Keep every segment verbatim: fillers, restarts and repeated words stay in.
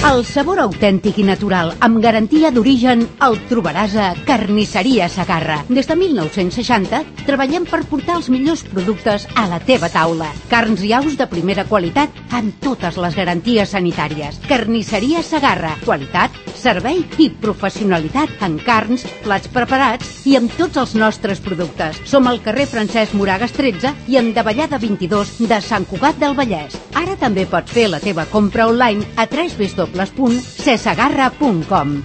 El sabor autèntic i natural, amb garantia d'origen, el trobaràs a Carnisseria Segarra. Des de mil nou-cents seixanta treballem per portar els millors productes a la teva taula. Carns i aus de primera qualitat amb totes les garanties sanitàries. Carnisseria Segarra. Qualitat, servei i professionalitat en carns, plats preparats i amb tots els nostres productes. Som al carrer Francesc Moragas tretze i en Davallada vint-i-dos de Sant Cugat del Vallès. Ara també pots fer la teva compra online a w w w punt cesegarra punt com.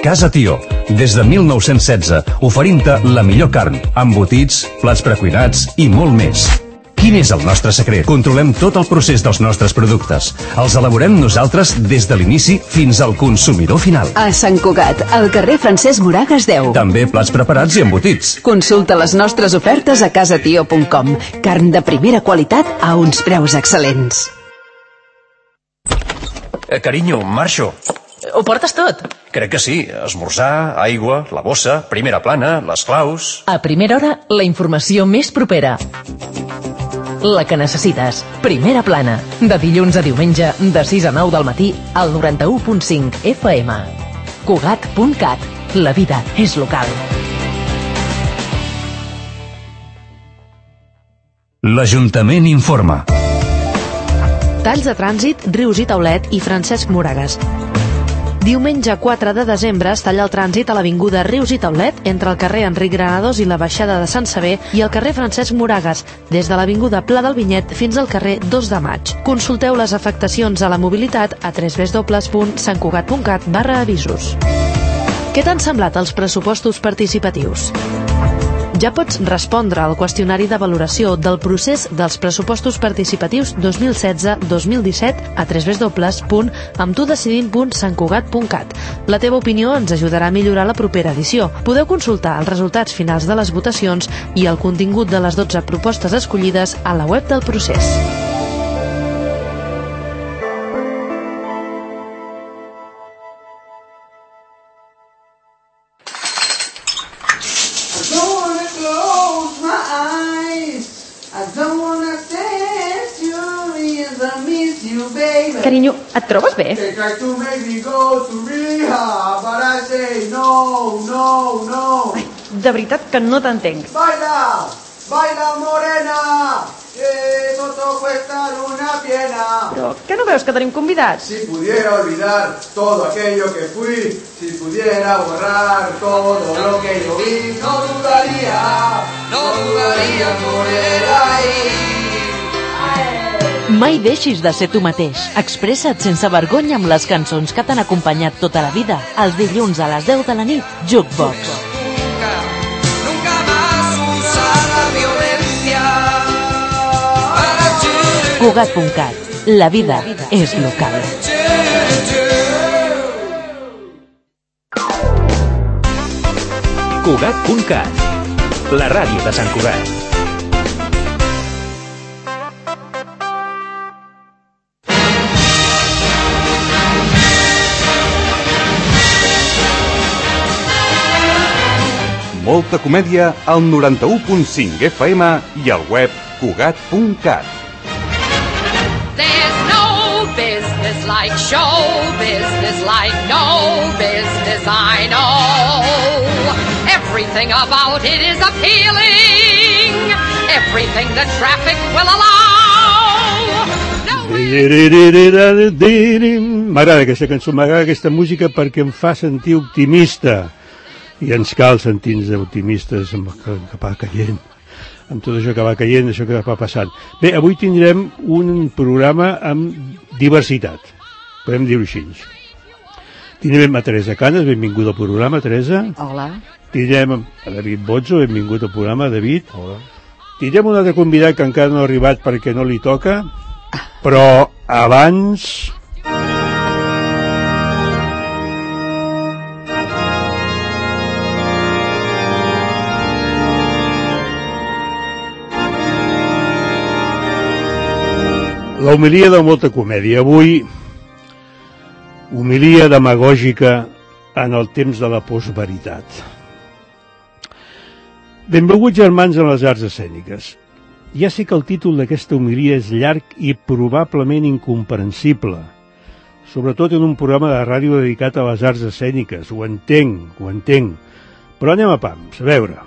Casa Tió, des de mil nou-cents setze, oferint-te la millor carn, embotits, plats precuinats i molt més. Quin és el nostre secret? Controlem tot el procés dels nostres productes. Els elaborem nosaltres des de l'inici fins al consumidor final. A Sant Cugat, al carrer Francesc Moragas deu. També plats preparats i embotits. Consulta les nostres ofertes a casatio punt com. Carn de primera qualitat a uns preus excel·lents. Eh, carinyo, marxo. Ho portes tot? Crec que sí. Esmorzar, aigua, la bossa, primera plana, les claus... A primera hora, la informació més propera. La que necessites. Primera plana. De dilluns a diumenge, de sis a nou del matí, al noranta-u punt cinc F M. Cugat punt cat. La vida és local. L'Ajuntament informa. Talls de trànsit, Rius i Taulet i Francesc Moragas. Diumenge quatre de desembre es talla el trànsit a l'avinguda Rius i Taulet entre el carrer Enric Granados i la baixada de Sant Sever i el carrer Francesc Moragas, des de l'avinguda Pla del Vinyet fins al carrer dos de maig. Consulteu les afectacions a la mobilitat a w w w punt santcugat punt cat barra avisos. Què t'han semblat els pressupostos participatius? Ja pots respondre al qüestionari de valoració del procés dels pressupostos participatius dos mil setze dos mil disset a w w w punt amb tu decidint punt santcugat punt cat. La teva opinió ens ajudarà a millorar la propera edició. Podeu consultar els resultats finals de les votacions i el contingut de les dotze propostes escollides a la web del procés. Carinyo, et trobes bé? Ai, de veritat que no t'entenc. Baila, baila morena, que todo cuesta una piena. Però que no veus que tenim convidats? Si pudiera olvidar todo aquello que fui, si pudiera borrar todo lo que yo vi, no dudaría, no dudaría en volver ahí. Mai deixis de ser tu mateix. Expressa't sense vergonya amb les cançons que t'han acompanyat tota la vida. Els dilluns a les deu de la nit, Jukebox. Cugat punt cat. La vida és local. Cugat punt cat. La ràdio de Sant Cugat. Molta comèdia al noranta-u punt cinc F M i al web cugat punt cat. There's no business like show business like no business I know. Everything about it is appealing. Everything the traffic will allow. M'agrada aquesta cançó, m'agrada aquesta música perquè em fa sentir optimista. I ens cal sentir-nos optimistes amb el que va caient, amb tot això que va caient, això que va passant. Bé, avui tindrem un programa amb diversitat, podem dir-ho així. Tindrem a Teresa Canes, benvinguda al programa, Teresa. Hola. Tindrem a David Bozzo, benvingut al programa, David. Hola. Tindrem un altre convidat que encara no ha arribat perquè no li toca, però abans... La homilia de molta comèdia. Avui, homilia demagògica en el temps de la postveritat. Benvinguts, germans, en les arts escèniques. Ja sé que el títol d'aquesta homilia és llarg i probablement incomprensible, sobretot en un programa de ràdio dedicat a les arts escèniques. Ho entenc, ho entenc, però anem a pams, a veure.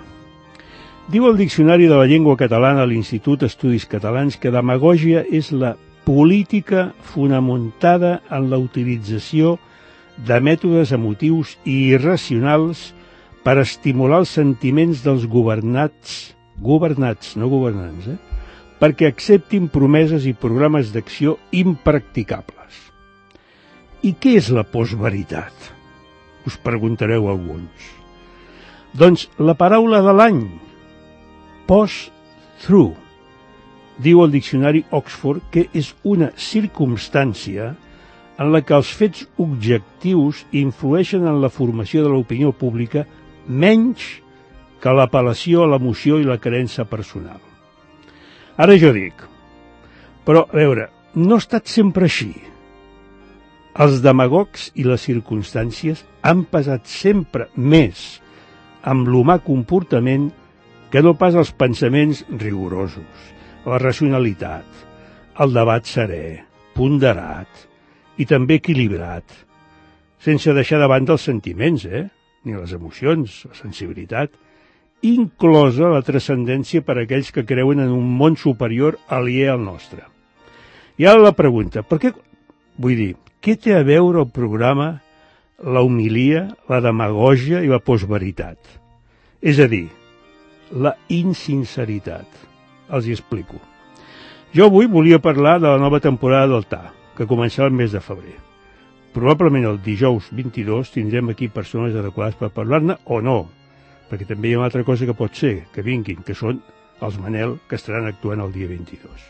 Diu el Diccionari de la Llengua Catalana a l'Institut d'Estudis Catalans que demagògia és la política fonamentada en la utilització de mètodes emotius i irracionals per estimular els sentiments dels governats, governats, no governants, eh? perquè acceptin promeses i programes d'acció impracticables. I què és la postveritat? Us preguntareu alguns. Doncs la paraula de l'any, post-truth, diu el diccionari Oxford que és una circumstància en la que els fets objectius influeixen en la formació de l'opinió pública menys que l'apel·lació a l'emoció i la creença personal. Ara jo dic, però, a veure, no ha estat sempre així. Els demagogs i les circumstàncies han pesat sempre més amb l'humà comportament que no pas els pensaments rigorosos, la racionalitat, el debat serè, ponderat i també equilibrat, sense deixar de banda els sentiments, eh? ni les emocions, la sensibilitat, inclosa la transcendència per a aquells que creuen en un món superior aliè al nostre. I ara la pregunta, per què, vull dir, què té a veure el programa, la homilia, la demagògia i la postveritat? És a dir, la insinceritat. Els hi explico. Jo avui volia parlar de la nova temporada del T A, que començarà el mes de febrer. Probablement el dijous vint-i-dos tindrem aquí persones adequades per parlar-ne o no, perquè també hi ha una altra cosa que pot ser, que vinguin, que són els Manel, que estaran actuant el dia vint-i-dos.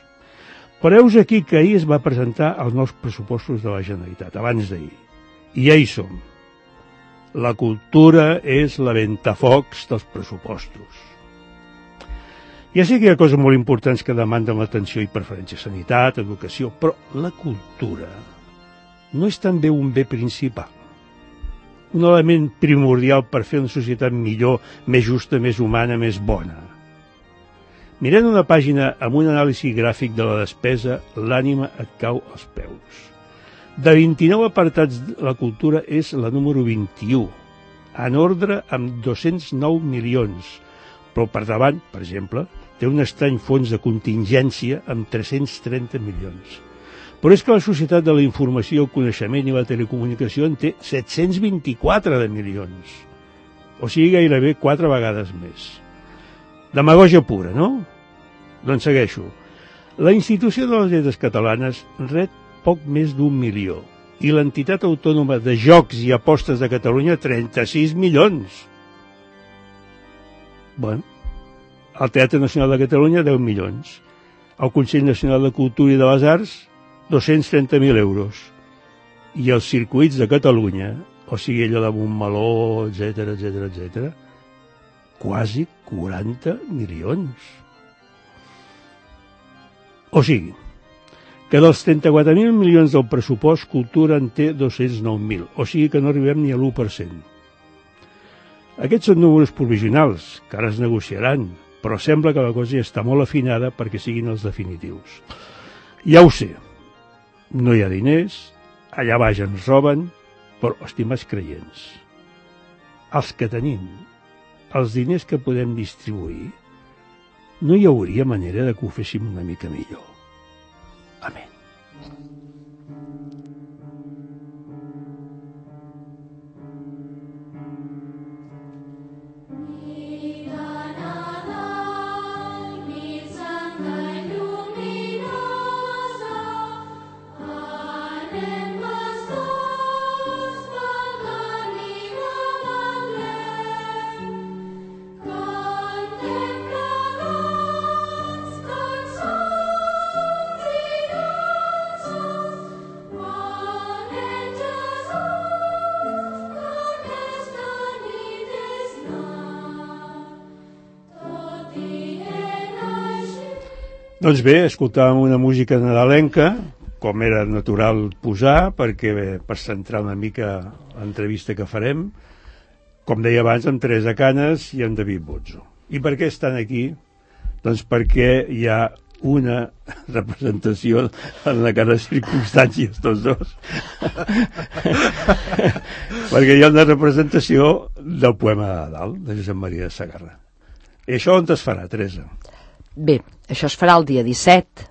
Però heus aquí que ahir es va presentar els nous pressupostos de la Generalitat, abans d'ahir. I ja hi som. La cultura és la ventafocs dels pressupostos. Ja sé que hi ha coses molt importants que demanden l'atenció i preferència, sanitat, educació, però la cultura no és també un bé principal. Un element primordial per fer una societat millor, més justa, més humana, més bona. Mirant una pàgina amb un anàlisi gràfic de la despesa, l'ànima et cau als peus. De vint-i-nou apartats, la cultura és la número vint-i-u, en ordre amb dos-cents nou milions, però per davant, per exemple, té un estrany fons de contingència amb tres-cents trenta milions. Però és que la societat de la informació, el coneixement i la telecomunicació en té set-cents vint-i-quatre de milions. O sigui, gairebé quatre vegades més. Demagògia pura, no? Doncs segueixo. La institució de les lletres catalanes rep poc més d'un milió i l'entitat autònoma de jocs i apostes de Catalunya trenta-sis milions. Bueno, el Teatre Nacional de Catalunya deu milions. El Consell Nacional de Cultura i de les Arts dos-cents trenta mil euros. I els circuits de Catalunya, o sigui, allò de Montmeló, etcètera, etcètera, etcètera, quasi quaranta milions. O sigui, que dels trenta-quatre mil milions del pressupost, Cultura en té dos-cents nou mil, o sigui que no arribem ni a l'u per cent. Aquests són números provisionals, que ara es negociaran, però sembla que la cosa ja està molt afinada perquè siguin els definitius. Ja ho sé, no hi ha diners, allà baix ens roben, però, estimats creients, els que tenim, els diners que podem distribuir, no hi hauria manera de que ho féssim una mica millor. Amén. Doncs bé, escoltàvem una música nadalenca, com era natural posar, perquè bé, per centrar una mica l'entrevista que farem, com deia abans, amb Teresa Canes i amb David Bozzo. I per què estan aquí? Doncs perquè hi ha una representació en la cara de circumstàncies tots dos. Perquè hi ha una representació del poema de Nadal de Josep Maria de Sagarra. I això on es farà, Teresa? Bé, això es farà el dia disset,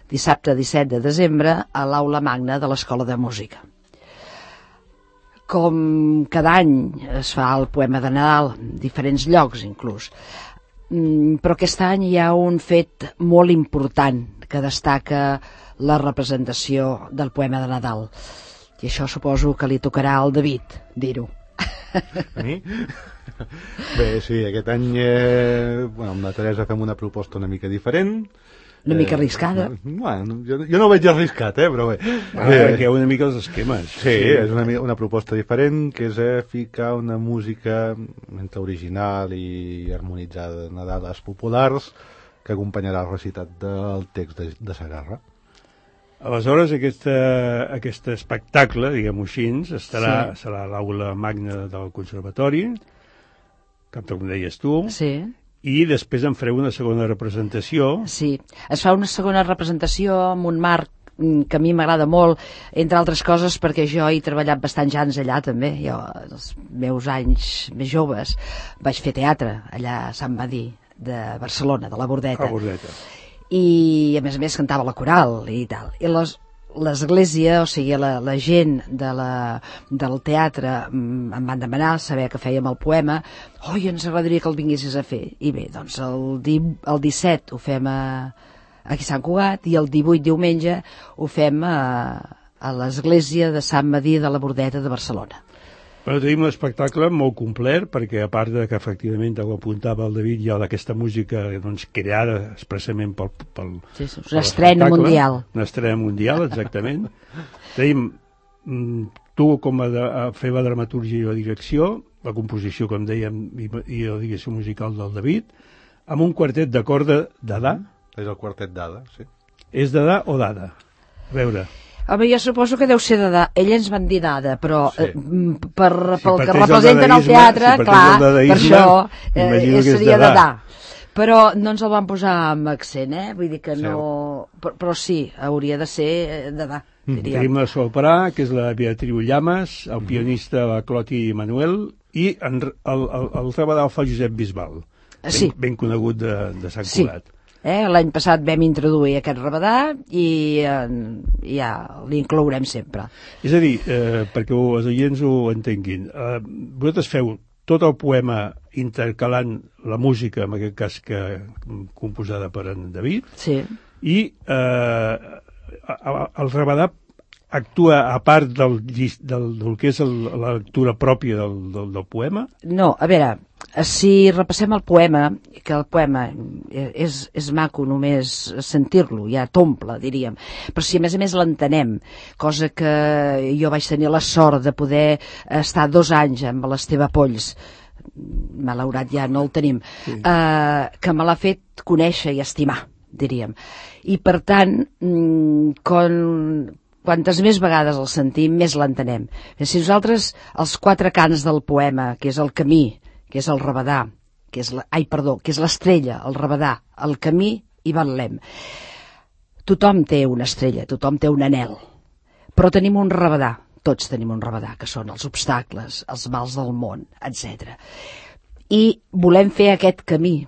dissabte disset de desembre, a l'Aula Magna de l'Escola de Música. Com cada any es fa el poema de Nadal, en diferents llocs inclús, però aquest any hi ha un fet molt important que destaca la representació del poema de Nadal, i això suposo que li tocarà al David dir-ho. A mi? Bé, sí, aquest any eh, bueno, amb la Teresa fem una proposta una mica diferent, una mica arriscada. Eh, bueno, jo, jo no ho veig arriscat, eh, però bé. Ah, eh, perquè una mica els esquemes. Sí, sí. És una, una proposta diferent, que és eh, ficar una música entre original i harmonitzada de Nadales populars que acompanyarà el recitat del text de, de Sagarra. Aleshores, aquesta, aquest espectacle, diguem-ho així, estarà, sí. serà a l'Aula Magna del Conservatori, com deies tu, sí. I després en fareu una segona representació. Sí, es fa una segona representació amb un marc que a mi m'agrada molt, entre altres coses perquè jo he treballat bastants anys allà també. Jo, els meus anys més joves, vaig fer teatre allà a Sant Medir de Barcelona, de la Bordeta. A Bordeta. I a més a més cantava la coral i tal. I les, l'església, o sigui la, la gent de la, del teatre em van demanar saber que fèiem el poema. Oi, ens agradaria que el vinguessis a fer. I bé, doncs el, di, el disset ho fem a, aquí a Sant Cugat i el divuit, diumenge, ho fem a, a l'església de Sant Medir de la Bordeta de Barcelona. Però tenim un espectacle molt complet, perquè a part de que efectivament, ho apuntava el David, hi ha aquesta música doncs, creada expressament pel, pel, sí, sí, una estrena mundial. Una estrena mundial, exactament. Tenim tu com a, de, a fer la dramatúrgia i la direcció, la composició, com dèiem, i, i la direcció musical del David, amb un quartet de corda d'Adà. És el quartet d'Adà, sí. És d'Adà o d'Ada? A veure... Home, jo suposo que deu ser d'Adà. Ells ens van dir d'Ada, però sí. eh, per, si pel que representen el teatre, si clar, per això eh, seria d'Adà. Però no ens el van posar amb accent, eh? Vull dir que no... Però, però sí, hauria de ser d'Adà, diríem. Tenim la soprà, que és la Beatriu Llamas, el pianista la Cloti Manuel, i en, el, el, el rabadà el fa Josep Bisbal, ben, sí. ben conegut de, de Sant Cugat. Sí. Eh, l'any passat vam introduir aquest rabadà i eh, ja l'inclourem sempre. És a dir, eh, perquè els oients ho entenguin, eh, vosaltres feu tot el poema intercalant la música, en aquest cas que composada per en David, sí. I eh, el rabadà actua a part del, del, del que és el, la lectura pròpia del, del, del poema? No, a veure, si repassem el poema, que el poema és, és maco només sentir-lo, ja t'omple, diríem, però si a més a més l'entenem, cosa que jo vaig tenir la sort de poder estar dos anys amb l'Esteve Polls, malaurat ja no el tenim, sí. eh, que me l'ha fet conèixer i estimar, diríem. I per tant, quan... Quantes més vegades el sentim, més l'entenem. Si nosaltres, els quatre cants del poema, que és el camí, que és el rabadà, que és la, ai, perdó, que és l'estrella, el rabadà, el camí i Betlem. Tothom té una estrella, tothom té un anhel, però tenim un rabadà, tots tenim un rabadà, que són els obstacles, els mals del món, etcètera. I volem fer aquest camí,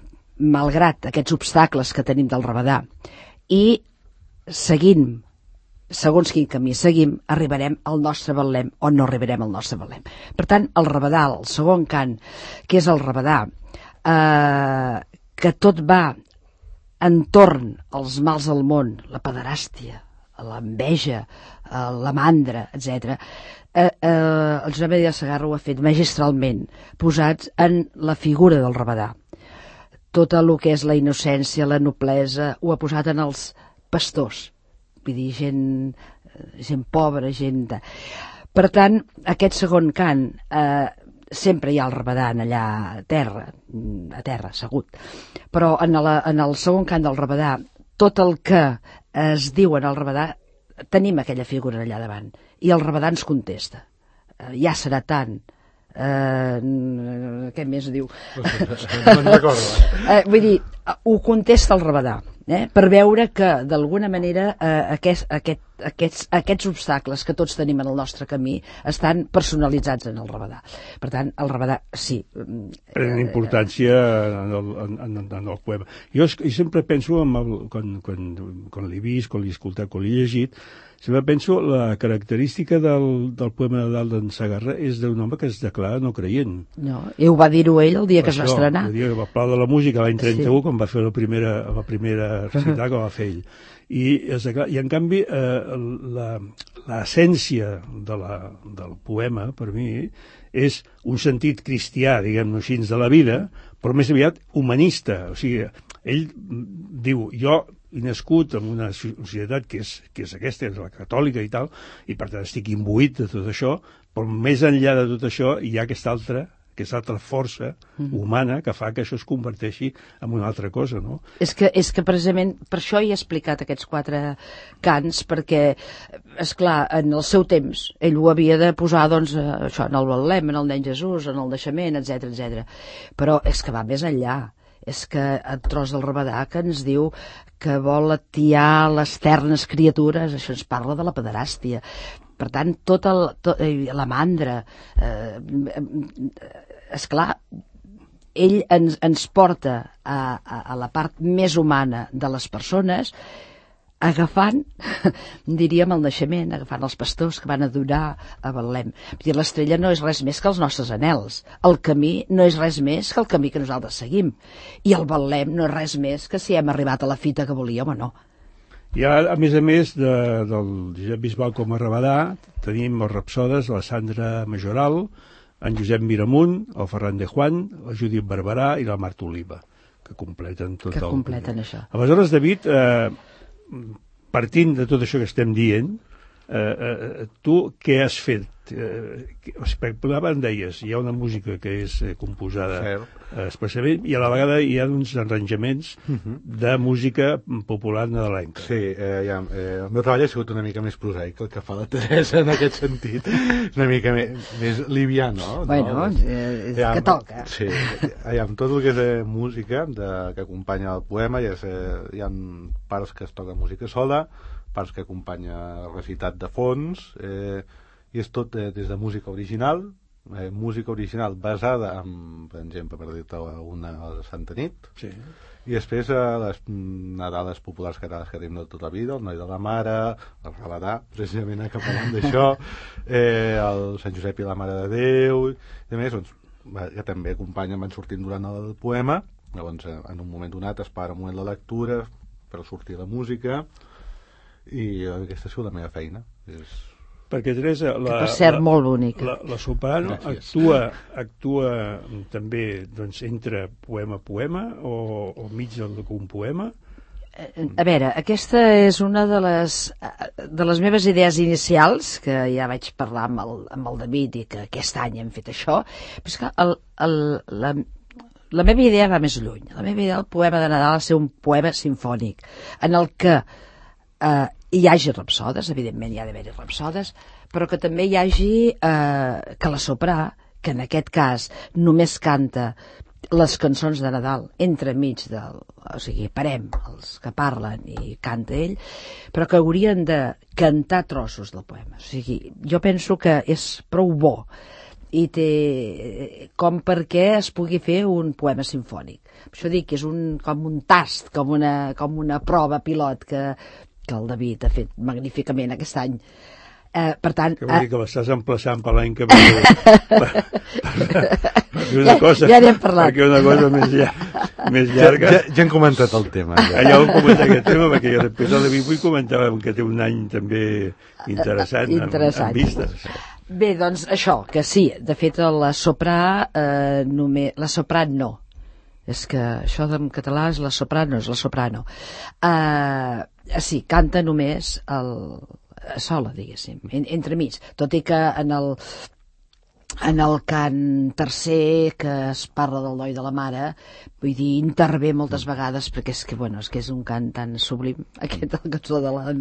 malgrat aquests obstacles que tenim del rabadà, i seguint segons quin camí seguim, arribarem al nostre Betlem o no arribarem al nostre Betlem. Per tant, el rabadà, el segon cant, que és el rabadà, eh, que tot va entorn als mals del món, la pederàstia, l'enveja, la mandra, etcètera, eh, eh, el Josep Maria de Sagarra ho ha fet magistralment, posats en la figura del rabadà. Tot el que és la innocència, la noblesa, ho ha posat en els pastors, vull dir, gent, gent pobra, gent de... Per tant, aquest segon cant, eh, sempre hi ha el rabadà allà a terra, a terra, assegut, però en, la, en el segon cant del rabadà, tot el que es diu en el rabadà, tenim aquella figura allà davant, i el rabadà ens contesta. Eh, ja serà tant, Uh, què més diu? No me'n recordo. uh, vull dir, ho contesta el Rabadà, eh? Per veure que d'alguna manera uh, aquest, aquest, aquests, aquests obstacles que tots tenim en el nostre camí estan personalitzats en el Rabadà. Per tant, el Rabadà sí prenen importància en el, en, en, en el poema. Jo, jo sempre penso en el, quan, quan, quan l'he vist, quan l'he escoltat, quan l'he llegit, sempre penso la característica del, del poema de Nadal d'en Segarra és d'un home que es declara no creient. No, i ho va dir-ho ell el dia que es va estrenar. El dia que va Plau de la Música l'any trenta-u, sí. quan va fer la primera, la primera recital que va fer ell. I, i en canvi eh, l'essència de la, del poema per mi és un sentit cristià, diguem-ne així, de la vida, però més aviat humanista. O sigui, ell diu, jo he nascut en una societat que és, que és aquesta, és la catòlica i tal, i per tant estic imbuït de tot això, però més enllà de tot això hi ha aquesta altra, aquesta altra força humana que fa que això es converteixi en una altra cosa, no? És que, és que precisament per això he explicat aquests quatre cants, perquè, és clar, en el seu temps ell ho havia de posar, doncs, això, en el Betlem, en el nen Jesús, en el naixement, etcètera, etcètera. Però és que va més enllà. És que el tros del Rabadà que ens diu que vol atiar les ternes criatures, això ens parla de la pederàstia. Per tant, tot el, tot, la mandra, eh, esclar, ell ens, ens porta a, a, a la part més humana de les persones, agafant, diríem, el naixement, agafant els pastors que van adorar a Betlem. L'estrella no és res més que els nostres anhels. El camí no és res més que el camí que nosaltres seguim. I el Betlem no és res més que si hem arribat a la fita que volíem o no. I a, a més a més de, del Josep Bisbal com a Rabadà, tenim els rapsodes, la Sandra Majoral, en Josep Miramunt, el Ferran de Juan, la Judit Barberà i la Marta Oliva, que completen tot que el... Que completen això. Aleshores, David, eh, partint de tot això que estem dient, eh, eh, tu què has fet? Eh, em deies, hi ha una música que és eh, composada eh, especialment, i a la vegada hi ha uns arranjaments uh-huh. de música popular nadalenca. Sí, eh, ja, eh, el meu treball ha sigut una mica més prosaic el que fa la Teresa en aquest sentit, una mica més, més liviano. Bueno, no? eh, ja, que toca. Sí, ja, amb tot el que és eh, música de, que acompanya el poema, ja és, eh, hi ha parts que es toca música sola, parts que acompanya recitat de fons, eh, i és tot eh, des de música original, eh, música original basada en, per exemple, per dir-te una Santa Nit, sí. I després eh, les Nadales populars catalanes que tenim de tota la vida, el Noi de la Mare, el Rabadà, precisament que parlem d'això, eh, el Sant Josep i la Mare de Déu, i a més, doncs, que també acompanyen, van sortint durant el poema, llavors en un moment donat es para un moment la lectura per sortir la música, i aquesta ha sigut la meva feina. És... Perquè, Teresa, la, per cert, la, molt bonica. La, la soprano actua, actua també doncs, entre poema a poema o, o mig d'un poema? A veure, aquesta és una de les, de les meves idees inicials, que ja vaig parlar amb el, amb el David i que aquest any hem fet això, però és que el, el, la, la meva idea va més lluny. La meva idea del poema de Nadal ha de ser un poema sinfònic, en el que eh, hi hagi rapsodes, evidentment hi ha d'haver-hi rapsodes, però que també hi hagi eh, que la soprà, que en aquest cas només canta les cançons de Nadal entremig del... O sigui, parem els que parlen i canta ell, però que haurien de cantar trossos del poema. O sigui, jo penso que és prou bo i té com perquè es pugui fer un poema sinfònic. Per això dic que és un, com un tast, com una, com una prova pilot que que el David ha fet magníficament aquest any. Eh, per tant... Que vol dir que l'estàs emplaçant per l'any que ve per, per, per una cosa, ja, ja n'hem parlat. perquè una cosa més, llar, més llarga... Ja, ja, ja hem comentat el tema. Ja, ja hem comentat aquest tema, perquè jo després el David vull comentar que té un any també interessant, interessant. Amb, amb vistes. Bé, doncs això, que sí, de fet la soprà, eh, només, la soprà no. És que això en català és la soprano, és la soprano. Eh... Sí, canta només el, sola, diguéssim, en, entremig, tot i que en el, en el cant tercer, que es parla del doi de la mare, vull dir, intervé moltes vegades, perquè és que, bueno, és que és un cant tan sublim, aquest, el cançó de la,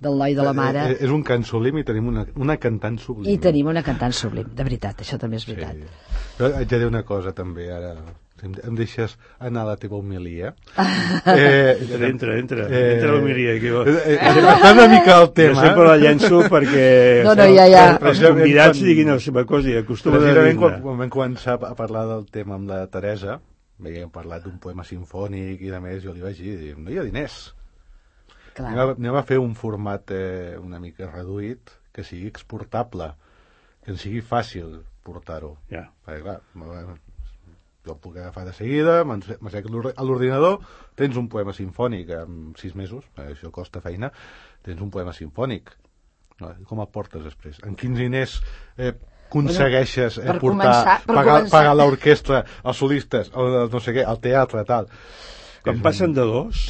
del doi de la mare. Eh, és un cant sublim i tenim una, una cantant sublim. I tenim una cantant sublim, de veritat, això també és veritat. Sí. Jo haig de dir una cosa també, ara, si em, em deixes anar a la teva homilia. Eh, entra, entra, entra, eh, entra l'homilia. Aquí. Eh, eh, una mica el tema. Jo sempre la llenço perquè no, no, ja, ja. els convidats quan, diguin la seva cosa i acostuma a dir-ne. Quan, quan vam començar a parlar del tema amb la Teresa, havíem parlat d'un poema sinfònic i de més, jo li vaig dir, no hi ha diners. Anem a, anem a fer un format eh, una mica reduït, que sigui exportable, que ens sigui fàcil portar-ho. Ja. Perquè, clar, jo el puc agafar de seguida, m'assec a l'ordinador, tens un poema sinfònic en sis mesos, això costa feina, tens un poema sinfònic. Com el portes després? En quins diners eh, aconsegueixes eh, portar, començar, pagar, pagar l'orquestra, els solistes, el, no sé què, el teatre, tal. Quan passen de dos...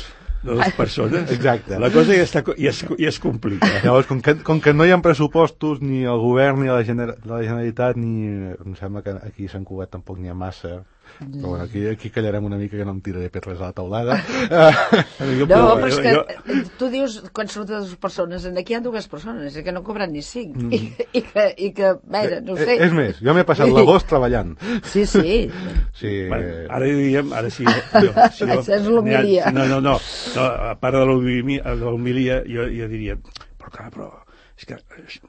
de dues persones, exacte. La cosa ja, està, ja, es, ja es complica. Llavors, com que, com que no hi ha pressupostos, ni el govern, ni la, gener, la Generalitat, ni... Em sembla que aquí a Sant Cugat tampoc n'hi ha massa. Però bueno, aquí, aquí callarem una mica, que no em tiraré pedres a la taulada. No, però és que jo... tu dius, quan surt de dues persones, aquí hi ha dues persones, que no cobren ni cinc. Mm. I, i, que, i que, veure, no ho sé. És més, jo m'he passat l'agost treballant. Sí, sí. Sí. Bueno, ara diríem, ara sí. Jo, si jo, és l'homilia. No, no, no, no. A part de l'homilia, jo, jo diria, però clar, però és que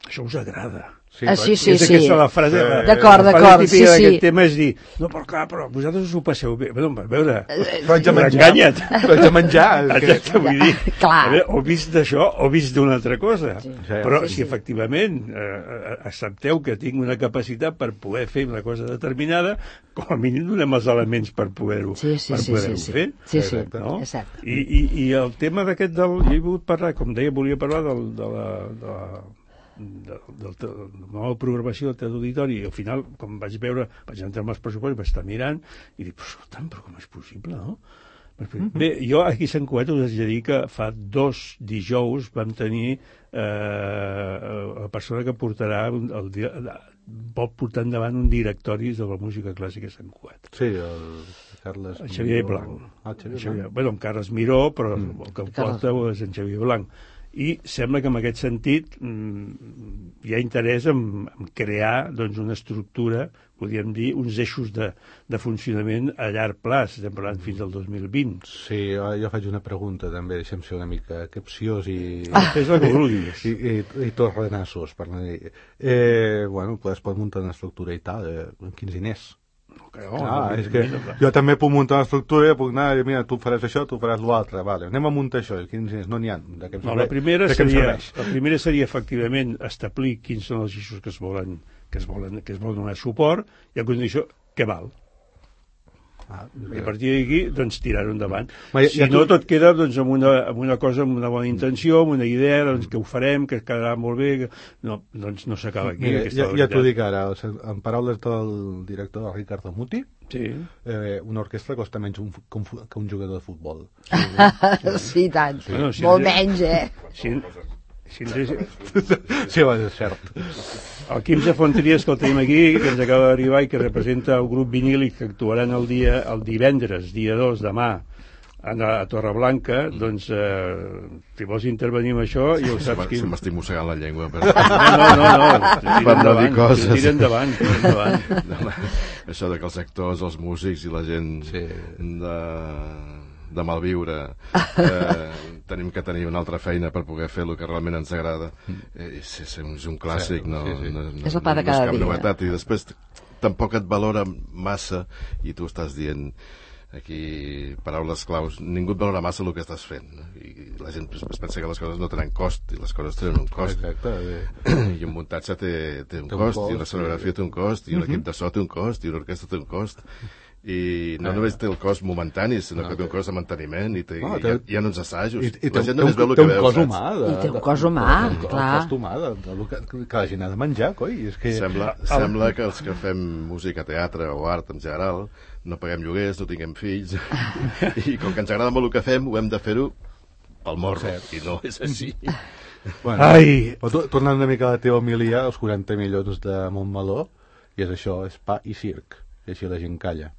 això us agrada. Sí, ah, sí, sí, és sí. aquesta la frase, sí. D'acord, d'acord, sí, sí. D'aquest tema és dir, no, però clar, però vosaltres us ho passeu bé. Bueno, a veure, però haig de menjar. Però haig de menjar. Que... Vull dir, clar. Veure, o vist d'això o vist d'una altra cosa. Sí. Però sí, si sí. efectivament eh, accepteu que tinc una capacitat per poder fer una cosa determinada, com a mínim donem els elements per poder-ho sí, sí, per sí, poder-ho sí, sí. fer. Sí, sí, no? exacte. I, i, I el tema d'aquest del... Jo he volgut parlar, com deia, volia parlar del, de la... De la de, de, de la nova programació del Teatre Auditori, i al final, com vaig veure, vaig entrar amb els pressupostos, vaig estar mirant i dic, però escolta'm, però com és possible, no? Mm-hmm. Bé, jo aquí a Sant Cugat us haig de dir que fa dos dijous vam tenir eh, la persona que portarà el, el, vol portar endavant un directori de la música clàssica a Sant Cugat. Sí, el Carles el Xavier Blanc. Ah, Xavier Xavier, bueno, en Carles Miró, però mm. el que el porta és en Xavier Blanc. I sembla que en aquest sentit mmm, hi ha interès en, en crear doncs, una estructura, podríem dir, uns eixos de, de funcionament a llarg plaç, estem parlant fins al dos mil vint. Sí, jo faig una pregunta també, deixem ser una mica capciós i... Ah, és el que vulguis. I, i, i tots renassos, per no dir... Eh, bueno, es pot muntar una estructura i tal, eh, amb quins diners? Okay, oh, ah, no, és que no, jo també puc muntar una estructura i puc anar, mira, tu faràs això, tu faràs l'altre, vale, anem a muntar això, no n'hi ha. De què em no, la, primera seria, la primera seria efectivament establir quins són els eixos que es volen, que es volen, que es volen donar suport, i a condició què val. Ah, i a partir d'aquí, doncs, tirar-ho endavant. Ma, si ja no, tu... tot queda doncs, amb, una, amb una cosa, amb una bona intenció, amb una idea, doncs, que ho farem, que quedarà molt bé, que... no, doncs no s'acaba aquí. Mira, ja ja t'ho dic ara, en paraules del director Ricardo Muti, sí. eh, una orquestra costa menys un, que, un, que un jugador de futbol. Sí, sí tant. Sí. Bueno, si molt menys, eh? Si, si ens... Sí, va, és cert. El Quimsa Fontries, que el tenim aquí, que ens acaba d'arribar i que representa el grup vinílic que actuaran el dia el divendres, dia dos, demà, a, a Torreblanca, doncs, eh, si vols intervenir amb això, i ho saps qui... Se m'estic mossegant la llengua. Per... No, no, no, no, per no dir coses. Tira endavant, tira endavant. Això de que els actors, els músics i la gent sí. de... de malviure eh, tenim que tenir una altra feina per poder fer el que realment ens agrada. Eh, és, és, és un clàssic, sí, no, sí, sí. no, no, és el pa de cada no és cap dia. Novetat. I després tampoc et valora massa, i tu estàs dient aquí paraules claus, ningú et valora massa el que estàs fent, no? I la gent es pensa que les coses no tenen cost, i les coses tenen un cost. Exacte, i un muntatge té, té un té cost, un cost, i una escenografia té un cost, i un uh-huh. equip de so té un cost, i una orquestra té un cost, i no ah, només té el cost momentani, sinó no, que té un cost de manteniment, i té, no, té, hi, ha, hi ha uns assajos, i, i la gent només veu el que veu. Té un cos humà. De, I té un cos humà, de, clar. Un cos humà, de, de, de, que, que la gent ha de menjar, coi. És que... Sembla, sembla que els que fem música, teatre o art en general, no paguem lloguers, no tinguem fills, i com que ens agrada molt el que fem, ho hem de fer-ho pel morro, i no és així. Bueno, Ai. Tornant una mica a la teva homilia, els quaranta milions de Montmeló, I és això, és pa i circ, i així la gent calla.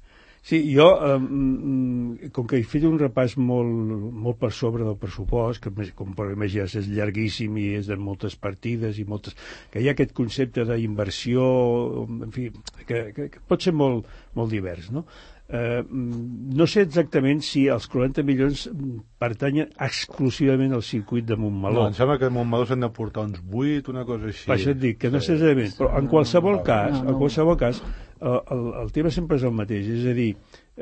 Sí, jo, eh, com que he fet un repàs molt, molt per sobre del pressupost, que com per imaginar és llarguíssim i és de moltes partides i moltes... que hi ha aquest concepte d'inversió, en fi, que, que, que pot ser molt, molt divers, no? Eh, no sé exactament si els quaranta milions pertanyen exclusivament al circuit de Montmeló. No, em sembla que a Montmeló s'han de portar uns vuit, una cosa així. Per això et dic, que no sé exactament, però en qualsevol cas, en qualsevol cas, el, el, el tema sempre és el mateix, és a dir,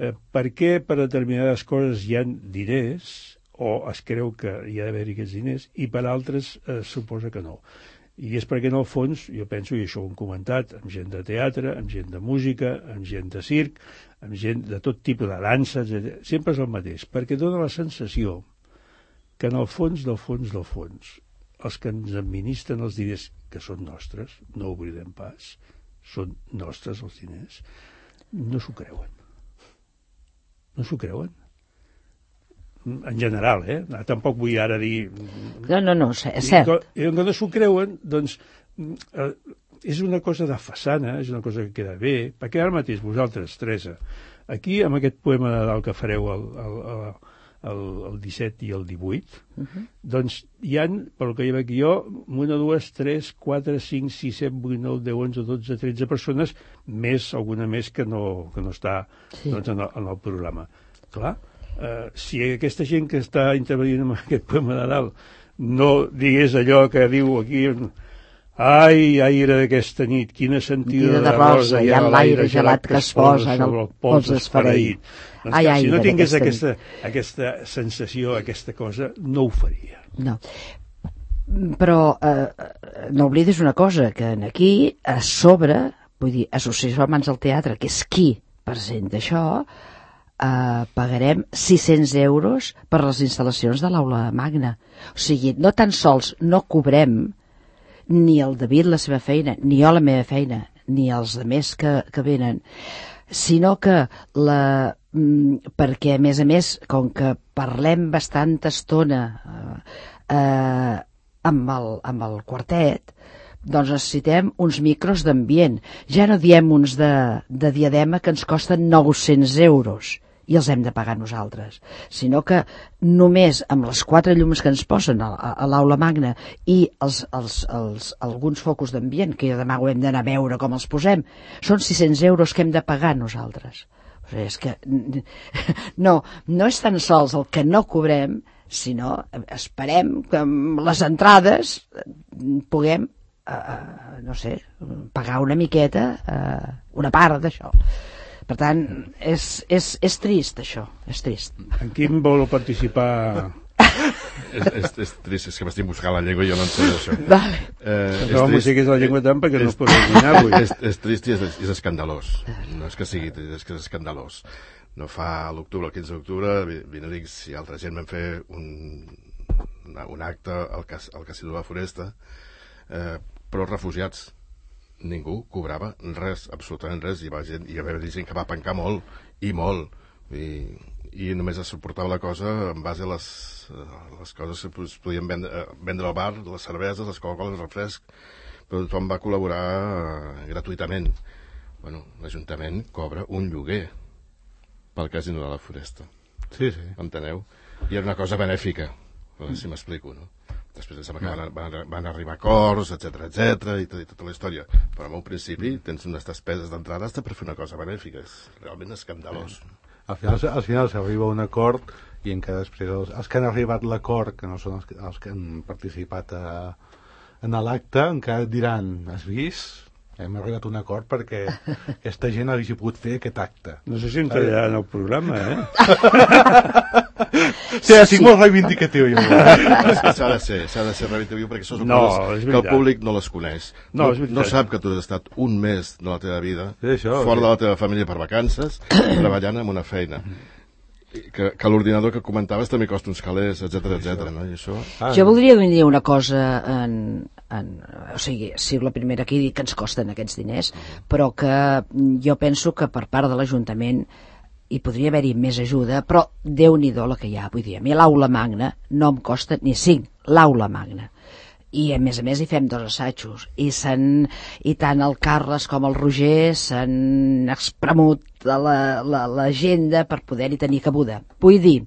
eh, per què per determinades coses hi ha diners, o es creu que hi ha d'haver-hi aquests diners, i per altres eh, suposa que no. I és perquè, en el fons, jo penso, i això ho hem comentat, amb gent de teatre, amb gent de música, amb gent de circ, amb gent de tot tipus de dansa, etcètera, sempre és el mateix, perquè dona la sensació que en el fons del fons del fons, els que ens administren els diners, que són nostres, no ho oblidem pas, són nostres els diners, no s'ho creuen. No s'ho creuen. En general, eh? Tampoc vull ara dir... No, no, no, és cert. I que no s'ho creuen, doncs, eh, és una cosa de façana, és una cosa que queda bé, perquè ara mateix vosaltres, Teresa, aquí, amb aquest poema de Nadal que fareu el, el, el, el disset i el divuit, uh-huh. doncs hi ha, pel que hi veig jo, una, dues, tres, quatre, cinc, sis, set, vuit, nou, deu, onze, dotze, tretze persones, més, alguna més que no, que no està sí. doncs, en, el, en el programa. Clar, Uh, si aquesta gent que està intervenint en aquest poema de Nadal no digués allò que diu aquí, ai, aire d'aquesta nit, quina sentida de, de rosa, hi ha l'aire gelat que es posa en el pols esfereït. Doncs ai, ai, si no tingués aquesta, aquesta sensació, aquesta cosa, no ho faria. No. Però eh, no oblidis una cosa, que aquí a sobre, vull dir, Associació Amants del Teatre, que és qui presenta això, Uh, pagarem sis-cents euros per les instal·lacions de l'aula magna. O sigui, no tan sols no cobrem ni el David la seva feina, ni jo la meva feina, ni els altres que, que venen, sinó que la, mm, perquè a més a més, com que parlem bastanta estona uh, uh, amb, el, amb el quartet, doncs necessitem uns micros d'ambient. Ja no diem uns de, de diadema que ens costen nou-cents euros i els hem de pagar nosaltres, sinó que només amb les quatre llums que ens posen a, a, a l'aula magna i els, els, els, alguns focus d'ambient, que demà ho hem d'anar a veure com els posem, són sis-cents euros que hem de pagar nosaltres. O sigui, és que no, no és tan sols el que no cobrem, sinó esperem que amb les entrades puguem Uh, no sé, pagar una miqueta, uh, una part d'això. Per tant, és, és, és trist això, és trist. En quin vol participar? és, és, és trist, és que m'estic buscant la llengua i jo no en sé això. Vale. Eh, no musiquis la llengua tant perquè no es pot eliminar avui. És, és trist i és, és escandalós. No és que sigui trist, és que és escandalós. No fa a l'octubre, el quinze d'octubre, Vinarix i altra gent vam fer un, un acte al, cas, al Casino de la Foresta, eh, però refugiats. Ningú cobrava res, absolutament res, i va, gent, i va haver gent que va pencar molt, i molt, i, i només es suportava la cosa en base a les, les coses que es podien vendre, vendre al bar, les cerveses, les Coca-Cola, el refresc, però tothom va col·laborar eh, gratuïtament. Bueno, l'Ajuntament cobra un lloguer pel Casino de la Foresta. Sí, sí. Enteneu? I era una cosa benèfica, si m'explico, no? Després sembla que van, van, van arribar acords, etcètera, etcètera, i, tot, i tota la història. Però en un principi tens unes despeses d'entrada per fer una cosa benèfica. És realment escandalós. Al final, al final s'arriba a un acord i encara després els, els que han arribat a l'acord, que no són els, els que han participat a, en l'acte, encara diran, has vist? Hem arribat a un acord perquè aquesta gent hagi pogut fer aquest acte. No sé si em trasllarà en el programa, eh? Sí, ha sigut molt reivindicatiu. S'ha de ser, s'ha de ser reivindicatiu perquè són no, coses que el públic no les coneix. No, no, no sap que tu has estat un mes de la teva vida sí, això, fora sí. de la teva família per vacances, treballant en una feina. Que, que l'ordinador que comentaves també costa uns calés, etcètera, etcètera, no? I això... Ah, jo voldria dir una cosa en, en, o sigui, si la primera aquí dic que ens costen aquests diners, però que jo penso que per part de l'Ajuntament hi podria haver-hi més ajuda, però Déu-n'hi-do la que hi ha, vull dir, a mi l'aula magna no em costa ni cinc, l'aula magna. i a més a més hi fem dos assajos i, i tant el Carles com el Roger s'han espremut l'agenda per poder-hi tenir cabuda. Vull dir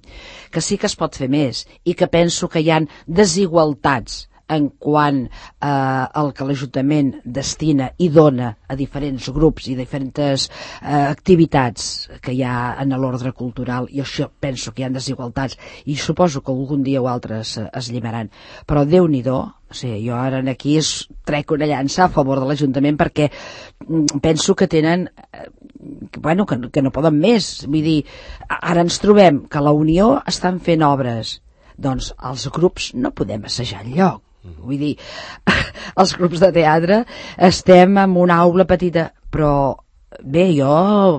que sí que es pot fer més i que penso que hi ha desigualtats en quant eh, al que l'Ajuntament destina i dona a diferents grups i diferents eh, activitats que hi ha en l'ordre cultural, i això penso que hi ha desigualtats i suposo que algun dia o altres es, es llimaran, però Déu-n'hi-do. O sigui, jo ara aquí es trec una llança a favor de l'Ajuntament perquè penso que tenen eh, bueno, que, que no poden més. Vull dir, ara ens trobem que la Unió estan fent obres, doncs els grups no podem assajar enlloc. Vull dir, els grups de teatre estem en una aula petita, però bé, jo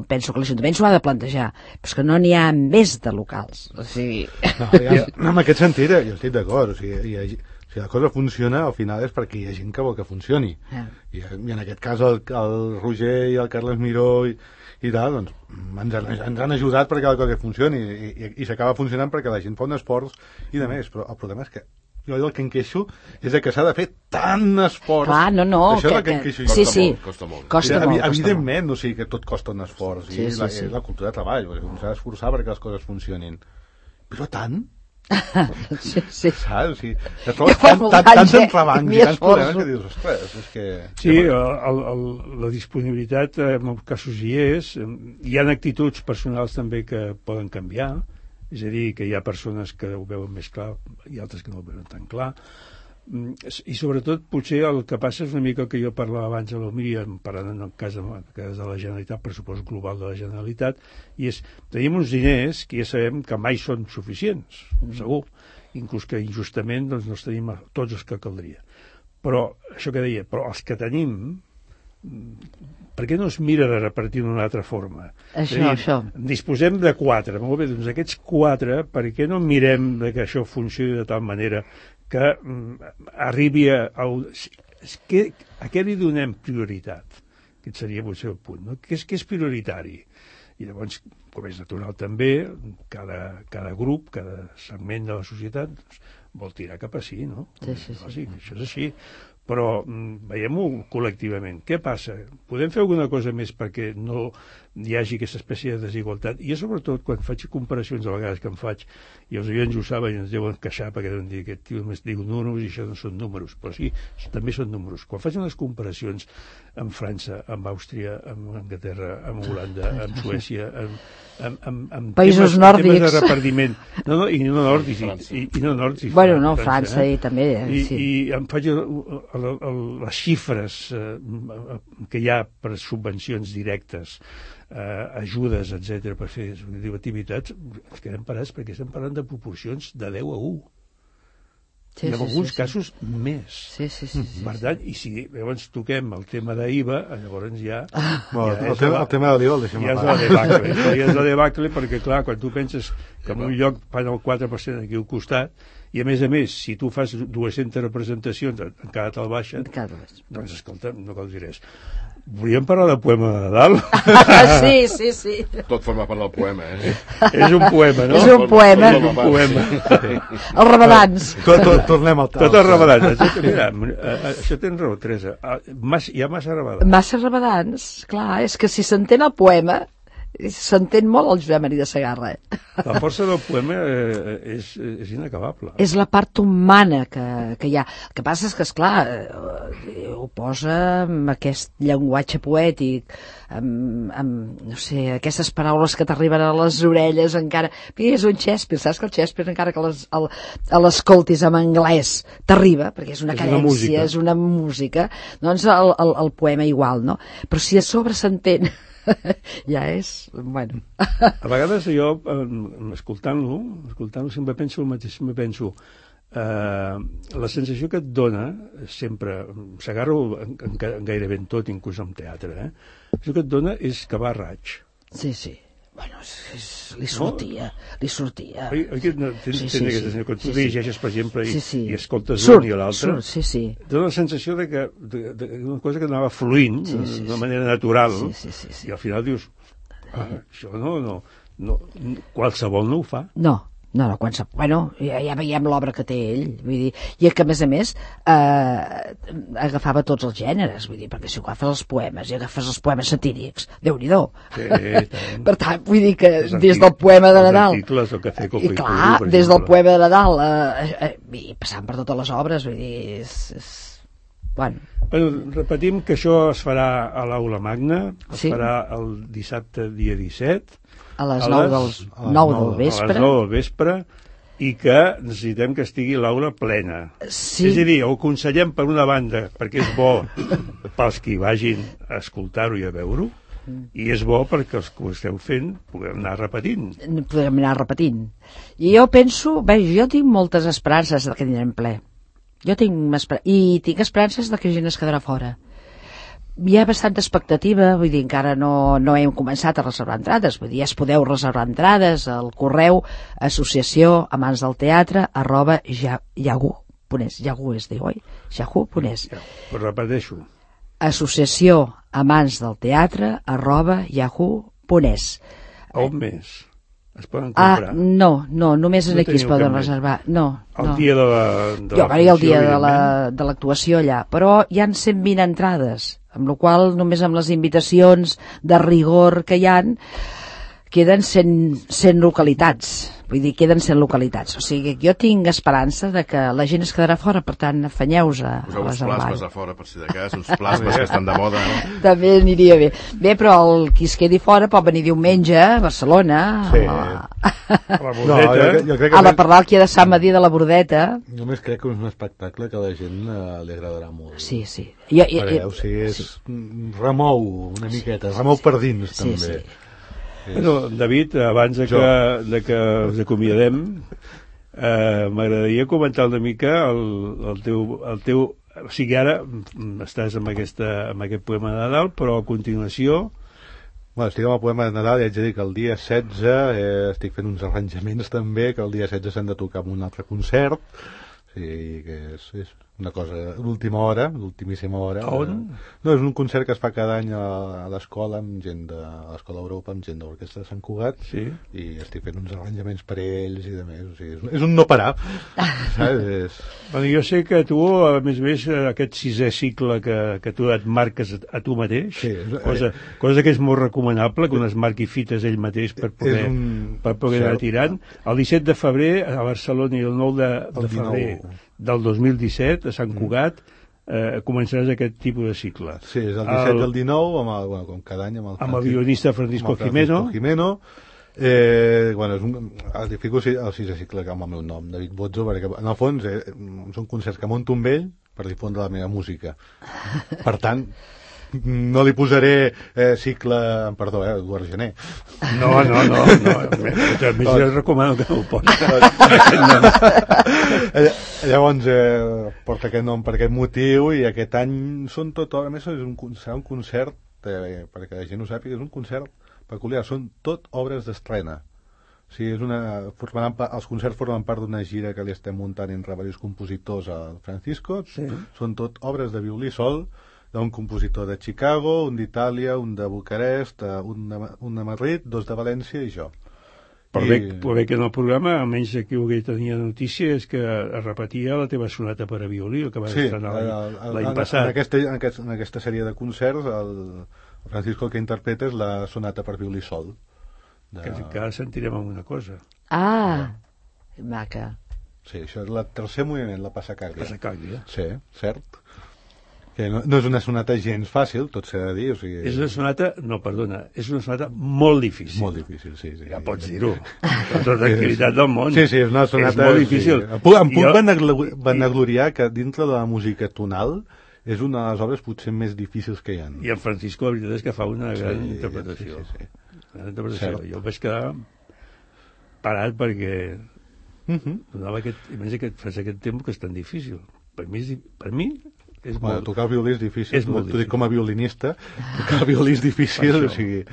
penso que l'Ajuntament s'ho ha de plantejar, però és que no n'hi ha més de locals. O sigui... No, ja, en aquest sentit jo estic d'acord, o sigui, hi ha, si la cosa funciona, al final és perquè hi ha gent que vol que funcioni. Yeah. I, I en aquest cas el, el Roger i el Carles Miró i, i tal, doncs ens han, ens han ajudat perquè la cosa funcioni i, i, i s'acaba funcionant perquè la gent fa un esforç i de més, però el problema és que jo el que em queixo és que s'ha de fer tant esforç. Clar, no, no. Això que, és el que em queixo. Sí, sí. Costa molt. Costa sí, molt, evidentment, costa molt. O sigui, que tot costa un esforç. Sí, i sí, la, sí. és la cultura de treball, s'ha d'esforçar perquè les coses funcionin. Però tant? sí, sí. Saps? O sigui, et trobes tant, tant, tants entrebancs i tants problemes que dius, ostres, és que... Sí, el, el, la disponibilitat en els casos hi és. Hi ha actituds personals també que poden canviar, és a dir, que hi ha persones que ho veuen més clar i altres que no ho veuen tan clar. I sobretot potser el que passa és una mica el que jo parlava abans a l'Omíria, parlant en el cas de, cas de la Generalitat, pressupost global de la Generalitat, i és, tenim uns diners que ja sabem que mai són suficients, segur, inclús que injustament doncs, no els tenim tots els que caldria. Però, això que deia, però els que tenim, per què no es mira de repartir d'una altra forma? Això, dir, això. Disposem de quatre, molt bé, doncs aquests quatre, per què no mirem que això funcioni de tal manera que mm, arribi a... a que, a què li donem prioritat? Aquest seria potser el punt, no? Què és, què és prioritari? I llavors, com és natural també, cada, cada grup, cada segment de la societat doncs, vol tirar cap a sí, no? Sí, sí, sí. sí això és així. Però mm, veiem-ho col·lectivament. Què passa? Podem fer alguna cosa més perquè no hi hagi aquesta espècie de desigualtat? I jo, sobretot, quan faig comparacions, a vegades que em faig, i els oients ho saben i ens deuen queixar perquè deuen dir que aquest tio només diu números i això no són números, però sí, també són números. Quan faig unes comparacions amb França, amb Àustria, amb Anglaterra, amb Holanda, amb Suècia, amb, amb, amb, amb països temes, nòrdics, temes de repartiment, no, no, i no nòrdics, i, i, i no nòrdics, bueno, no, França, França eh? i també, I, sí. I em faig el, el, el, les xifres eh, que hi ha per subvencions directes, eh, ajudes, etcètera, per fer activitats, ens quedem parats perquè estem parlant de proporcions de deu a u. Sí, I en sí, alguns sí, casos sí. més. Sí, sí, sí, sí, per tant, i si llavors toquem el tema d'I V A, llavors ja... Ah. Bueno, ja el, tema, el tema de l'I V A el deixem ja a és la debacle, ja és la debacle, perquè clar, quan tu penses que en un lloc fan el quatre per cent aquí al costat, i a més a més, si tu fas dues-centes representacions, encara te'l baixen, doncs escolta, no cal dir res. Volíem parlar del poema de Nadal? Sí, sí, sí. Tot forma part del poema, eh? És un poema, no? És un poema. És un poema. Els ramadans. Tot, tot, tornem al tal. Tot els ramadans. Mira, això tens raó, Teresa. Hi ha massa ramadans. Massa ramadans, clar, és que si s'entén el poema, s'entén molt el Josep Maria de Segarra. Eh? La força del poema eh, és, és inacabable. És la part humana que, que hi ha. El que passa és que, esclar, eh, ho posa amb aquest llenguatge poètic, amb, amb, no sé, aquestes paraules que t'arriben a les orelles encara... Perquè és un Shakespeare, saps que el Shakespeare, encara que les, el, l'escoltis en anglès, t'arriba, perquè és una és cadència, una és una música, doncs el, el, el poema igual, no? Però si a sobre s'entén... ja és, bueno. A vegades jo, escoltant-lo, escoltant-lo sempre penso el mateix, sempre penso eh, la sensació que et dona sempre, s'agarro en, en gairebé en tot, inclús en teatre, eh? El que et dona és que va a raig. Sí, sí. Bueno, és, és, li sortia, no? li sortia. Oi, oi que no, tens, sí, sí, sí, sí. Quan tu sí, dirigeixes, per exemple, i, sí, sí. i escoltes surt, un i l'altre, sí, sí. dona la sensació de que de, de, una cosa que anava fluint sí, sí, d'una manera natural, sí, sí, sí, sí. i al final dius, ah, això no, no, no, qualsevol no ho fa. No, No, no, quan sap... Bueno, ja, ja veiem l'obra que té ell, vull dir, i que a més a més eh, agafava tots els gèneres, vull dir, perquè si agafes els poemes i agafes els poemes satírics, Déu-n'hi-do. Sí, per tant, vull dir que des del poema de Nadal, articles, el Café Coco i clar, Puro, des del poema de Nadal, eh, eh, i passant per totes les obres, vull dir, és... és... Bueno. Bueno, repetim que això es farà a l'Aula Magna, es Sí. farà el dissabte dia disset, A les nou del- nou del vespre. A les nou del vespre, i que necessitem que estigui l'aula plena. Sí. És a dir, ho aconsellem per una banda, perquè és bo pels que vagin a escoltar-ho i a veure-ho, i és bo perquè els que ho esteu fent puguem anar repetint. Podrem anar repetint. I jo penso, bé, jo tinc moltes esperances de que tindrem ple. Jo tinc esper... I tinc esperances de que gent es quedarà fora. Hi ha bastanta expectativa, vull dir, encara no, no hem començat a reservar entrades, vull dir, ja es podeu reservar entrades al correu associació amants del teatre arroba yahoo punt es, yahoo es diu, oi? yahoo punt es. Però repeteixo. Associació amants del teatre arroba yahoo punt es. On més? Es poden Ah, comprar? no, no, només No aquí es teniu poden cap més? reservar. No, El no. dia de la, de Jo la varia el funció, dia de la- evidentment. de l'actuació allà, però hi han cent vint entrades, amb la qual només amb les invitacions de rigor que hi han queden cent, cent localitats, vull dir, queden cent localitats, o sigui que jo tinc esperança de que la gent es quedarà fora, per tant, afanyeu-vos a, a Poseu uns reservar. plasmes a fora, per si de cas, uns plasmes que estan de moda, no? També aniria bé. Bé, però el qui es quedi fora pot venir diumenge a Barcelona, Sí. a la, La No, jo, crec- jo crec que a la més- parròquia de Sant Madí de la Bordeta. Només crec que és un espectacle que a la gent eh, li agradarà molt. Sí, sí. I, i, Perquè, o sigui, és, remou una miqueta, remou per dins, Sí, també. sí. Bueno, David, abans de que, Jo. de que us acomiadem, eh, m'agradaria comentar una mica el, el, teu, el teu... O sigui, ara mm, estàs amb, aquesta, amb aquest poema de Nadal, però a continuació... Bueno, estic amb el poema de Nadal i haig de dir que el dia setze eh, estic fent uns arranjaments també, que el dia setze s'han de tocar en un altre concert, o sigui que és, és una cosa d'última hora, d'ultimíssima hora. A on? No, és un concert que es fa cada any a, a l'escola, amb gent de a l'escola Europa, amb gent de l'Orquestra de Sant Cugat, sí. i estic fent uns arranjaments per ells i de més, o sigui, és, és un no parar, saps? És... Bueno, jo sé que tu, a més a més, aquest sisè cicle que, que tu et marques a tu mateix, Sí, cosa, cosa que és molt recomanable, que un es marqui fites ell mateix per poder, És un- per poder anar cert. tirant. El disset de febrer a Barcelona i el nou de, El de febrer dinou. del dos mil disset a Sant Cugat eh, començaràs aquest tipus de cicle. Sí, és el disset i el dinou, amb el, bueno, com cada any, amb el, Amb el violinista Francisco amb el Jimeno. Jimeno. Eh, bueno, és un, el fico el sisè cicle que amb el meu nom, David Bozzo, perquè en el fons eh, són concerts que monto amb ell per difondre la meva música. Per tant, no li posaré eh, cicle, perdó, eh, Eduard Gené. No, no, no, no. A més, jo recomano que no ho posis. Eh, Llavors, eh, porta aquest nom per aquest motiu i aquest any són tot, a més és un, serà un concert, eh, perquè la gent ho sàpiga, és un concert peculiar, són tot obres d'estrena. O sigui, és una, formaran, pa- els concerts formen part d'una gira que li estem muntant entre diversos compositors al Francisco. Sí. Són tot obres de violí sol, d'un compositor de Chicago, un d'Itàlia, un de Bucarest, eh, un de, un de Madrid, dos de València i jo. Però I- bé, però bé que en el programa, almenys aquí ho que tenia notícia, és que es repetia la teva sonata per a violí, el que vas Sí, estrenar el- l'any el- l'any en, passat. En aquesta, en, aquest, en aquesta sèrie de concerts, el, el Francisco el que interpreta és la sonata per violí sol. De... Que, que ara sentirem alguna cosa. Ah, maca. Sí, això és el tercer moviment, la passacàrdia. Passacàrdia. Sí, cert. Que no, no és una sonata gens fàcil, tot s'ha de dir. O sigui... És una sonata, no, perdona, és una sonata molt difícil. Molt difícil, sí. sí ja pots dir-ho, amb tota tranquil·litat del món. Sí, sí, és una sonata... És molt difícil. Sí. Em puc, em puc Jo- vanaglo- vanagloriar que dintre de la música tonal és una de les obres potser més difícils que hi ha. I en Francisco, la veritat és que fa una Sí, gran sí, interpretació. sí, sí. Gran interpretació. Cert. Jo vaig quedar parat perquè Mhm. donava aquest, imagina que fas aquest temps que és tan difícil. Per mi, és, di- per mi és Bueno, molt... tocar el violí és difícil. És molt T'ho dic difícil. com a violinista. Tocar el violí és difícil, Per o això. sigui...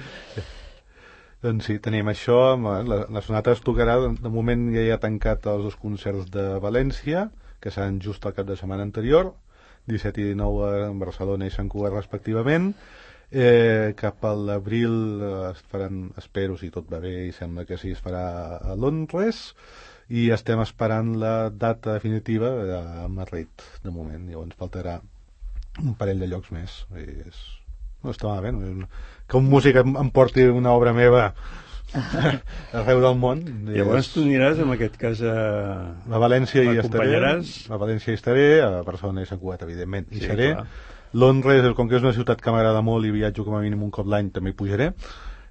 Doncs sí, tenim això. amb La, la sonata es tocarà, de moment ja hi ha tancat els dos concerts de València, que seran just el cap de setmana anterior, disset i dinou a Barcelona i Sant Cugat respectivament. Eh, cap a l'abril eh, es faran, espero, si tot va bé, i sembla que sí, es farà a Londres, i estem esperant la data definitiva a Madrid, de moment. Llavors faltarà un parell de llocs més. I és... No està malament. No? Que un músic em, em porti una obra meva arreu del món. Llavors tu aniràs, en aquest cas, a... A València hi estaré. L'acompanyaràs? A València hi estaré, a Barcelona i Sant Cugat, evidentment, hi Sí, seré. clar. Londres, com que és una ciutat que m'agrada molt i viatjo com a mínim un cop l'any, també hi pujaré.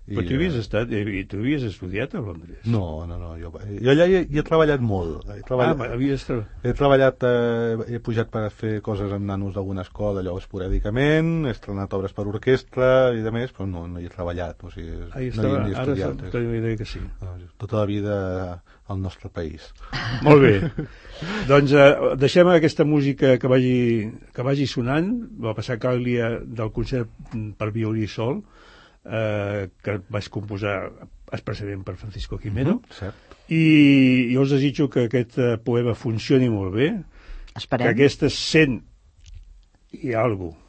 Però tu havies estat, i tu havies estudiat a Londres? No, no, no, jo, jo allà hi he, hi he treballat molt. He treballat, Ah, havies treballat... He treballat, eh, he pujat per fer coses amb nanos d'alguna escola, allò esporàdicament, he estrenat obres per orquestra i de més, però no, no hi he treballat, o sigui, Ah, no estava, hi he ara estudiat. te diré que sí. Tota la vida al nostre país. Molt bé. Doncs eh, deixem aquesta música que vagi, que vagi sonant. Va passar Càglia del concert per violí sol, eh, que vaig composar expressament per Francisco Quimero. Mm-hmm, cert. I jo us desitjo que aquest eh, poema funcioni molt bé. Esperem. Que aquestes cent i alguna cosa,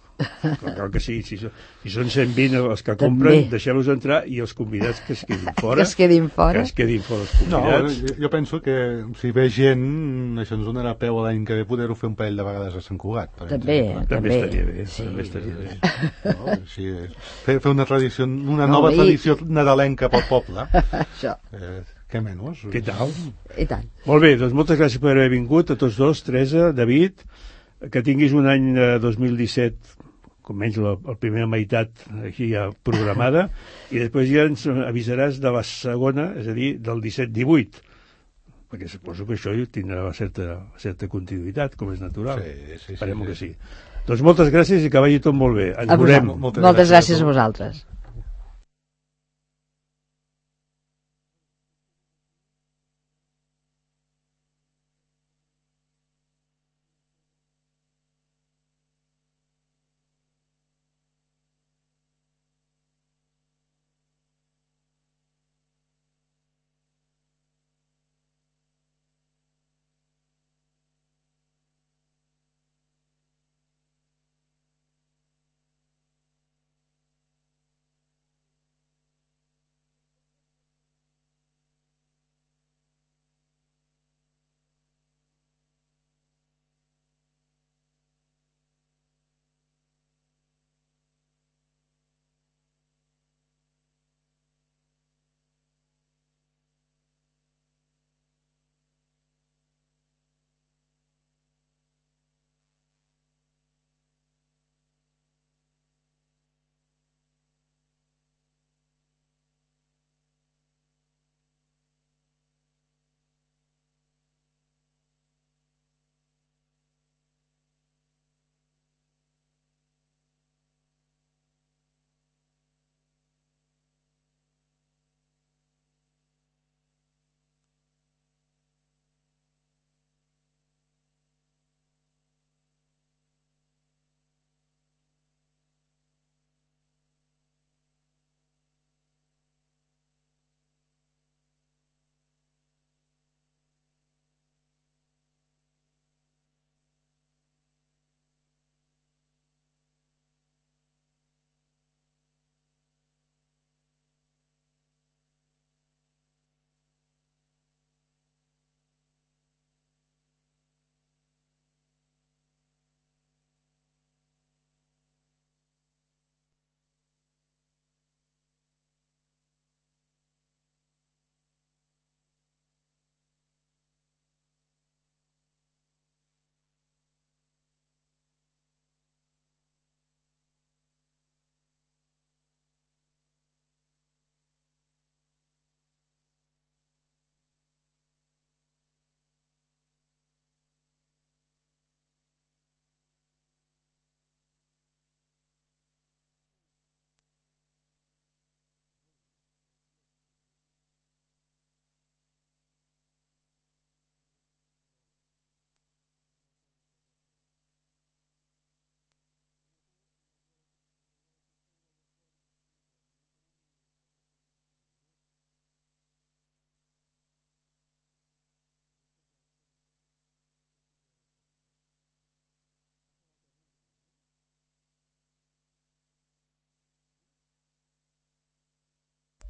cal que sí, si, si són cent vint els que compren, També. deixeu-los entrar, i els convidats que es quedin fora. Que es quedin fora. Que es quedin fora els No, convidats. jo, jo penso que si ve gent, això ens donarà peu a l'any que ve poder-ho fer un parell de vegades a Sant Cugat. Per També, exemple. També també. estaria bé, Sí. també estaria bé. No, sí, fer, fer una tradició, una No, nova i- tradició nadalenca pel poble. Això. Eh, què menys? Què tal? I tant. Molt bé, doncs moltes gràcies per haver vingut a tots dos, Teresa, David, que tinguis un any eh, dos mil disset, com menys la, la primera meitat aquí ja programada, i després ja ens avisaràs de la segona, és a dir, del disset divuit, perquè suposo que això tindrà una certa, certa continuïtat, com és natural. Sí, sí, Esperem sí, que sí. sí. Doncs moltes gràcies i que vagi tot molt bé. Ens A veurem. vosaltres. Moltes gràcies a vosaltres.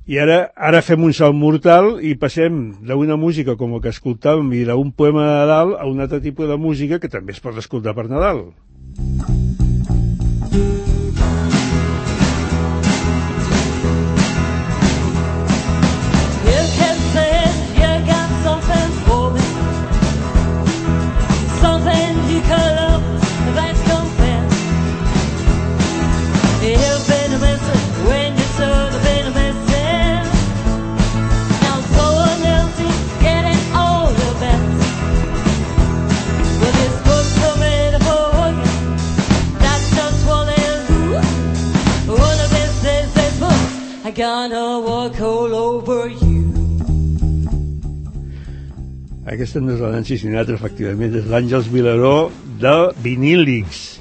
I ara ara fem un salt mortal i passem d'una música com el que escoltàvem i d'un poema de Nadal a un altre tipus de música que també es pot escoltar per Nadal. Gonna walk all over you. Aquesta no és la Nancy Sinatra, efectivament, és l'Àngels Vilaró de Vinílics.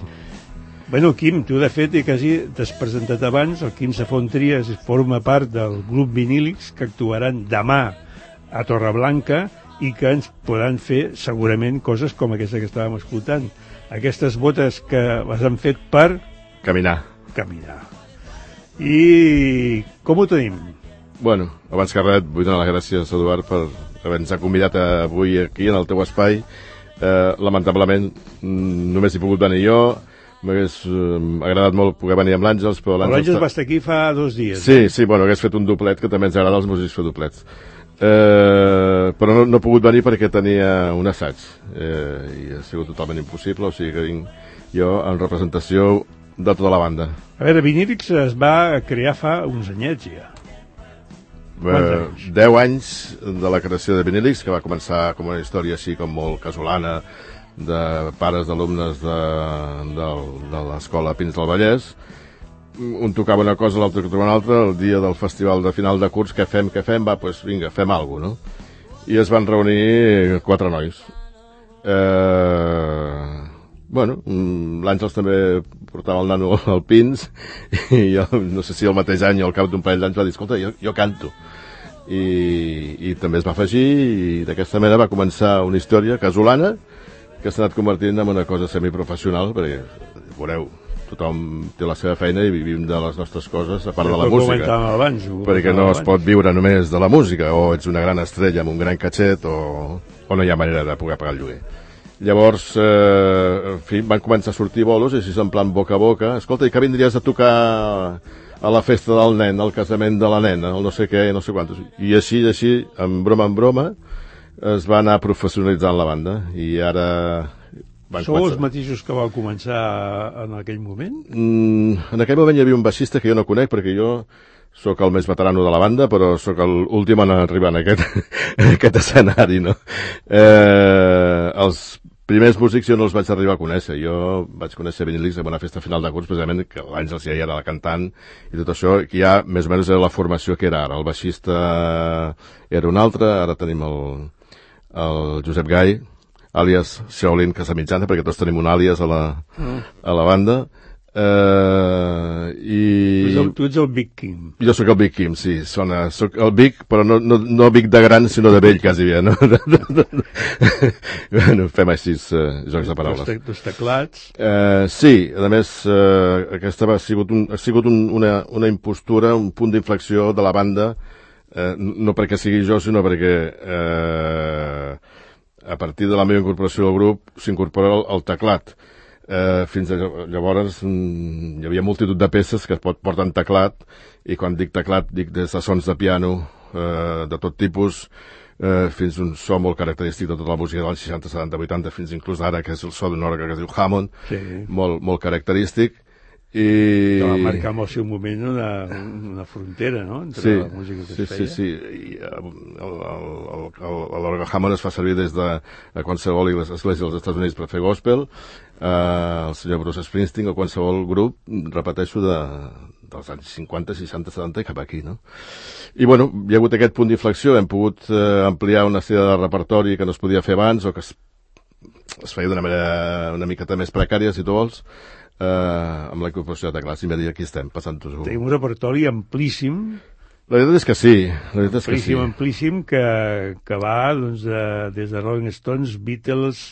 Bueno, Quim, tu de fet quasi t'has presentat abans, el Quim Safon Trias forma part del grup Vinílics que actuaran demà a Torreblanca i que ens podran fer segurament coses com aquesta que estàvem escoltant. Aquestes botes que les han fet per... Caminar. Caminar. I com ho tenim? Bueno, abans que res vull donar les gràcies, Eduard, per haver-nos convidat avui aquí en el teu espai. Eh, lamentablement només he pogut venir jo. M'hagués eh, agradat molt poder venir amb l'Àngels, però l'Àngels està... va estar aquí fa dos dies. Sí, eh? sí, bueno, hagués fet un doblet, que també ens agrada als músics fer doblets. Eh, però no, no he pogut venir perquè tenia un assaig eh, i ha sigut totalment impossible, o sigui que vinc jo en representació de tota la banda. A veure, Vinílics es va crear fa uns anyets ja. Eh, deu anys de la creació de Vinílics, que va començar com una història així com molt casolana de pares d'alumnes de, de, de l'escola Pins del Vallès. Un tocava una cosa, l'altre tocava una altra. El dia del festival de final de curs, què fem, què fem? Va, doncs vinga, fem alguna cosa, no? I es van reunir quatre nois. Eh... Bueno, l'Àngels també portava el nano al Pins i jo, no sé si el mateix any o al cap d'un parell d'anys va dir, escolta, jo, jo canto. I, i també es va afegir i d'aquesta manera va començar una història casolana que s'ha anat convertint en una cosa semiprofessional, perquè, veureu, tothom té la seva feina i vivim de les nostres coses a part de la música. Abans, perquè no es pot viure només de la música, o ets una gran estrella amb un gran catxet o, o no hi ha manera de poder pagar el lloguer. Llavors, eh, en fi, van començar a sortir bolos i així en plan boca a boca. Escolta, i que vindries a tocar a la festa del nen, al casament de la nena, el no sé què, no sé quantos. I així, així, en broma en broma, es va anar professionalitzant la banda. I ara... Sou els mateixos que vau començar en aquell moment? Mm, en aquell moment hi havia un baixista que jo no conec, perquè jo sóc el més veterano de la banda, però sóc l'últim en arribar en aquest, en aquest escenari, no? Eh, els primers músics jo no els vaig arribar a conèixer. Jo vaig conèixer Vinílics en una festa final de curs, precisament, que l'Àngels ja era la cantant i tot això, que ja més o menys era la formació que era ara. El baixista era un altre, ara tenim el, el Josep Gai, àlies Shaolin Casamitjana, perquè tots tenim un àlies a la, a la banda. Uh, i... tu, ets el, tu ets el Big Kim. Jo sóc el Big Kim, sí, sona, sóc el Big, però no, no, no Big de gran, sinó de vell, quasi bé, no? Bueno, fem així uh, jocs de paraules. Dos, te, dos teclats. Uh, sí, a més, uh, aquesta va, ha sigut, un, ha sigut un, una, una impostura, un punt d'inflexió de la banda, uh, no perquè sigui jo, sinó perquè uh, a partir de la meva incorporació al grup s'incorpora el, el teclat. Eh, fins a llavors mm, hi havia multitud de peces que es pot portar en teclat, i quan dic teclat dic des de sons de piano eh, de tot tipus eh, fins a un so molt característic de tota la música dels seixanta, setanta, vuitanta, fins inclús ara, que és el so d'un òrgan que es diu Hammond, sí. molt, molt característic, i... que va marcar en el seu moment una, una frontera, no?, entre sí, la música que sí, es feia. Sí, sí, sí. L'òrgan Hammond es fa servir des de qualsevol església dels Estats Units per fer gospel, Uh, el senyor Bruce Springsteen o qualsevol grup, repeteixo, de, dels anys cinquanta, seixanta, setanta i cap aquí, no? I bueno, hi ha hagut aquest punt d'inflexió, hem pogut uh, ampliar una sèrie de repertori que no es podia fer abans o que es, es feia d'una manera una miqueta més precària, si tu vols, uh, amb la incorporació de teclats, i m'ha dit, aquí estem, passant-ho. Tenim un repertori amplíssim. La veritat és que sí, la veritat és que amplíssim, sí. Amplíssim, que, que va doncs, de, des de Rolling Stones, Beatles,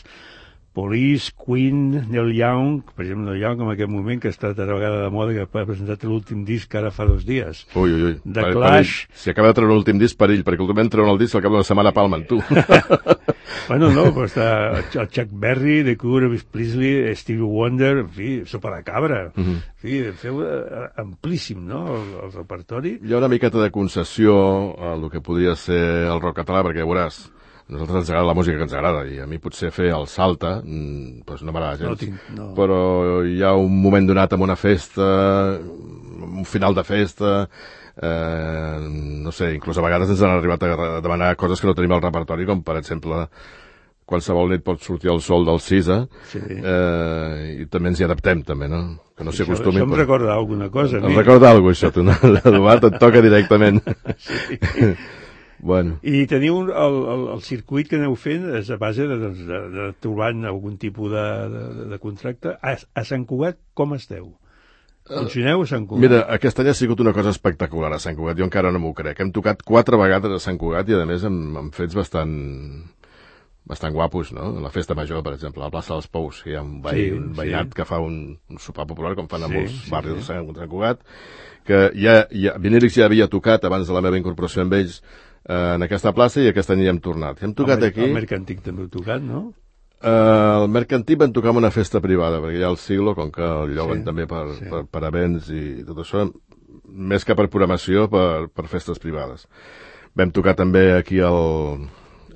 Police, Queen, Neil Young, per exemple, Neil Young en aquest moment, que està a vegada de moda, que ha presentat l'últim disc ara fa dos dies. Ui, ui, ui. The per, Clash. Per si acaba de treure l'últim disc, perill, perquè últimament treuen el disc al cap d'una setmana palmen, tu. Bueno, no, però està el Chuck Berry, The Cure, Elvis Presley, Stevie Wonder, en fi, Sopa de Cabra. Uh -huh. En fi, feu uh, amplíssim, no?, el, el repertori. Hi ha una miqueta de concessió a el que podria ser el rock català, perquè veuràs, a nosaltres ens agrada la música que ens agrada, i a mi potser fer el salta doncs no m'agrada gens, no tinc, no. Però hi ha un moment donat en una festa, un final de festa, eh, no sé, inclús a vegades ens han arribat a demanar coses que no tenim al repertori, com per exemple qualsevol nit pot sortir el sol del Cisa, sí. eh, i també ens hi adaptem, també, no? Que no s'hi acostumi. Això em recorda alguna cosa. Em recorda alguna cosa, això, tu, no? Eduard, et toca directament. Sí. Bueno. I teniu el, el, el circuit que aneu fent és a base de, doncs, de, de trobant algun tipus de, de, de contracte. A, a Sant Cugat com esteu? Funcioneu a Sant Cugat? Mira, aquest any ha sigut una cosa espectacular a Sant Cugat, jo encara no m'ho crec. Hem tocat quatre vegades a Sant Cugat i a més amb, amb fets bastant bastant guapos, no? La festa major, per exemple, a la plaça dels Pous, hi ha un, veí, sí, un veïnat sí. que fa un, un sopar popular, com fan a sí, molts sí, barris sí. de Sant Cugat, que ja, ja, Vinilix ja havia tocat abans de la meva incorporació amb ells en aquesta plaça i aquest any hi hem tornat. Hem tocat el, aquí... El Mercantic també heu tocat, no? Uh, el Mercantic vam tocar en una festa privada, perquè hi ha el Siglo, com que el lloguen sí, també per, sí. per, per events i tot això, més que per programació, per, per festes privades. Vam tocar també aquí al,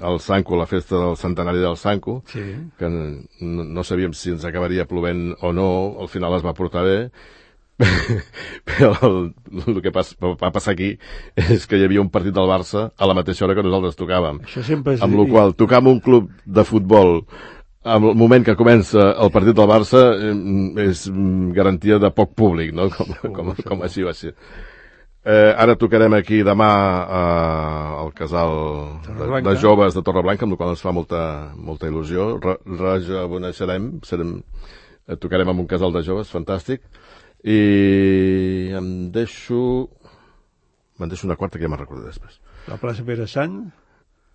al Sanco, la festa del centenari del Sanco, sí. que no, no sabíem si ens acabaria plovent o no, al final es va portar bé, però el, el que pas, va passar aquí és que hi havia un partit del Barça a la mateixa hora que nosaltres tocàvem, amb la qual tocar en un club de futbol en el moment que comença el partit del Barça és garantia de poc públic, no? com, com, com així va ser. Eh, ara tocarem aquí demà eh, al casal de, de joves de Torreblanca, amb el qual ens fa molta, molta il·lusió. Rejoveneixerem, serem, eh, tocarem amb un casal de joves, fantàstic. I em deixo me'n deixo una quarta que ja me'n recordo després. La plaça Pere Sant?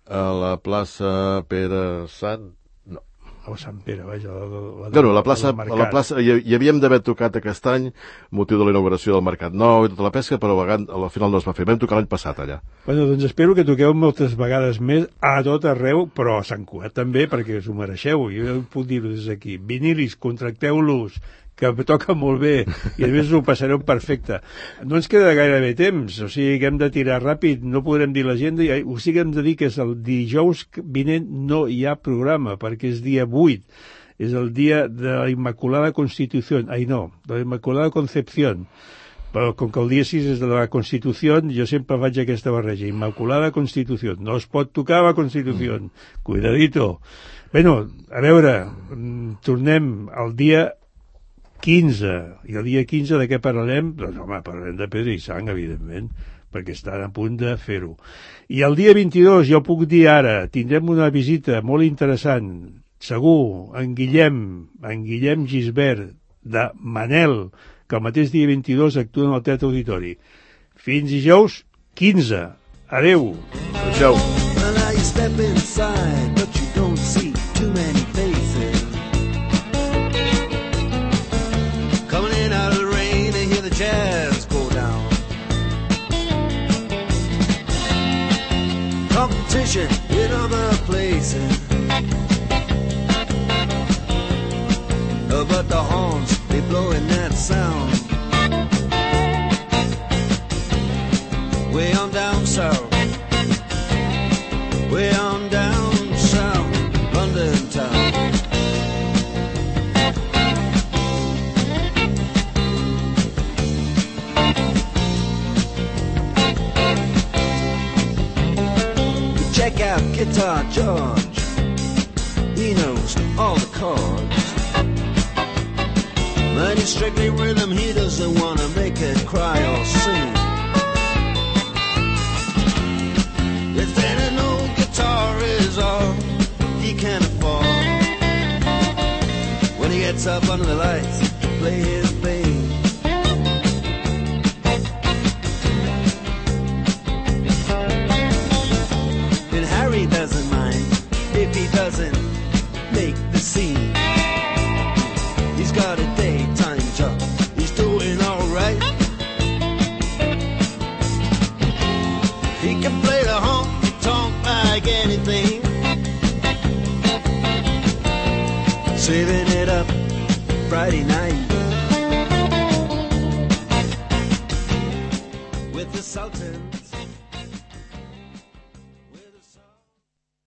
A la plaça Pere Sant no. O Sant Pere, vaja, la, la, la, no, la plaça, a la plaça hi, hi havíem d'haver tocat aquest any motiu de la inauguració del Mercat Nou i tota la pesca, però al final no es va fer. Vam tocar l'any passat allà. Bueno, doncs espero que toqueu moltes vegades més a tot arreu, però a Sant Cugat també, perquè us ho mereixeu. Jo puc dir-ho des d'aquí. Vinilis, contracteu-los, que toca molt bé, i a més ho passareu perfecte. No ens queda gaire bé temps, o sigui que hem de tirar ràpid, no podrem dir l'agenda, o sigui que hem de dir que és el dijous vinent no hi ha programa, perquè és dia vuit, és el dia de la Immaculada Constitució, ai no, de la Immaculada Concepció, però com que el dia sis és de la Constitució, jo sempre faig aquesta barreja, Immaculada Constitució, no es pot tocar la Constitució, cuidadito. Bueno, a veure, tornem al dia quinze, i el dia quinze de què parlarem? Doncs home, parlarem de Pedra i Sang, evidentment, perquè estan a punt de fer-ho. I el dia vint-i-dos, jo puc dir ara, tindrem una visita molt interessant, segur, en Guillem, en Guillem Gisbert, de Manel, que el mateix dia vint-i-dos actua en el Teatre Auditori. Fins dijous quinze. Adeu. Adéu. Jazz go down. Competition in other places, uh, but the horns, they blowing that sound. Way on down south, way on down south, London town. Check out Guitar George, he knows all the chords. But it's strictly rhythm, he doesn't want to make it cry or sing. If then an old guitar is all he can afford, when he gets up under the lights to play his bass, doesn't mind if he doesn't make the scene. Friday night with the Sultans.